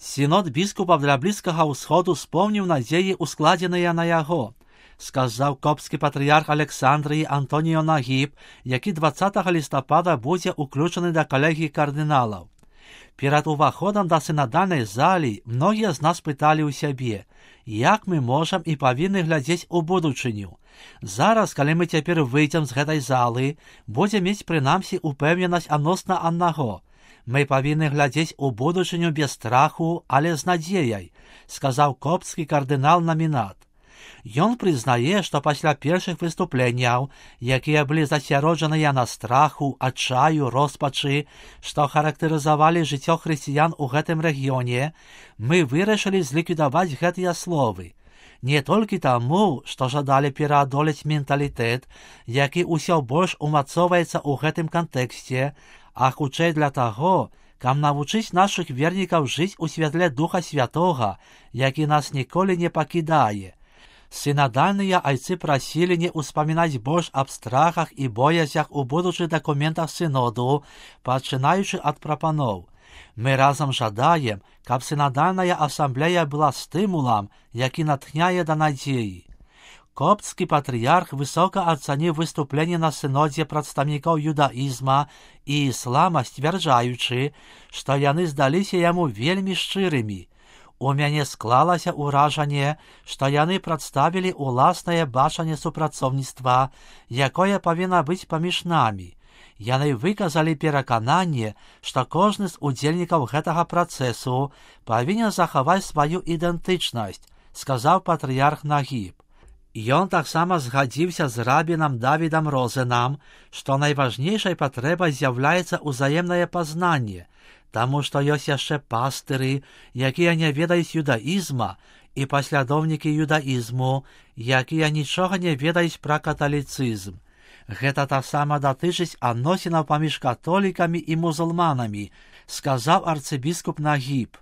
Сінод біскупаў для Блізкага ўсходу спомніў надзеі, ускладзеныя на яго, сказаў копскі патрыярх Александрыі Антоніо Нагіб, які 20 лістапада будзе ўключаны да калегіі кардыналаў. Перад уваходам да сінадальнай залі многія з нас пыталі ў сябе, як мы можам і павінны глядзець у будучыню. Зараз, калі мы цяпер выйдзем з гэтай залы, будзем мець прынамсі упэўненасць адносна аднаго. Мы павінны глядзець у будучыню без страху, але з надзеяй, сказаў копскі кардынал-намінат. Ён прызнае, што пасля першых выступленняў, якія былі засяроджаныя на страху, адчаю, роспачы, што характарызавалі жыццё хрысціян у гэтым рэгіёне, мы вырашылі зліквідаваць гэтыя словы. Не толькі таму, што жадалі пераадолець менталітэт, які ўсё больш умацоўваецца ў гэтым кантэксце, а хутчэй для таго, каб навучыць нашых вернікаў жыць у святле Духа Святога, які нас ніколі не пакідае. Сінадальныя айцы прасілі не ўспамінаць больш аб страхах і боязях у будучых дакументах сіноду, пачынаючы ад прапаноў. Мы разам жадаем, каб сінадальная асамблея была стымулам, які натхняе да надзеі. Копскі патрыярх высока ацаніў выступленне на сінодзе прадстаўнікоў юдаізма і іслама, сцвярджаючы, што яны здаліся яму вельмі шчырымі. У мяне склалася ўражанне, што яны прадставілі ўласнае бачанне супрацоўніцтва, якое павінна быць паміж намі. Яны выказалі перакананне, што кожны з удзельнікаў гэтага працэсу павінен захаваць сваю ідэнтычнасць, сказаў патрыярх Нагіб. Ён таксама згадзіўся з рабінам Давідам Розенам, што найважнейшай патрэбай з'яўляецца ўзаемнае пазнанне, таму што ёсць яшчэ пастыры, якія не ведаюць юдаізма, і паслядоўнікі юдаізму, якія нічога не ведаюць пра каталіцызм. Гэта таксама датычыць адносінаў паміж католікамі і мусульманамі, сказаў арцыбіскуп Нагіб.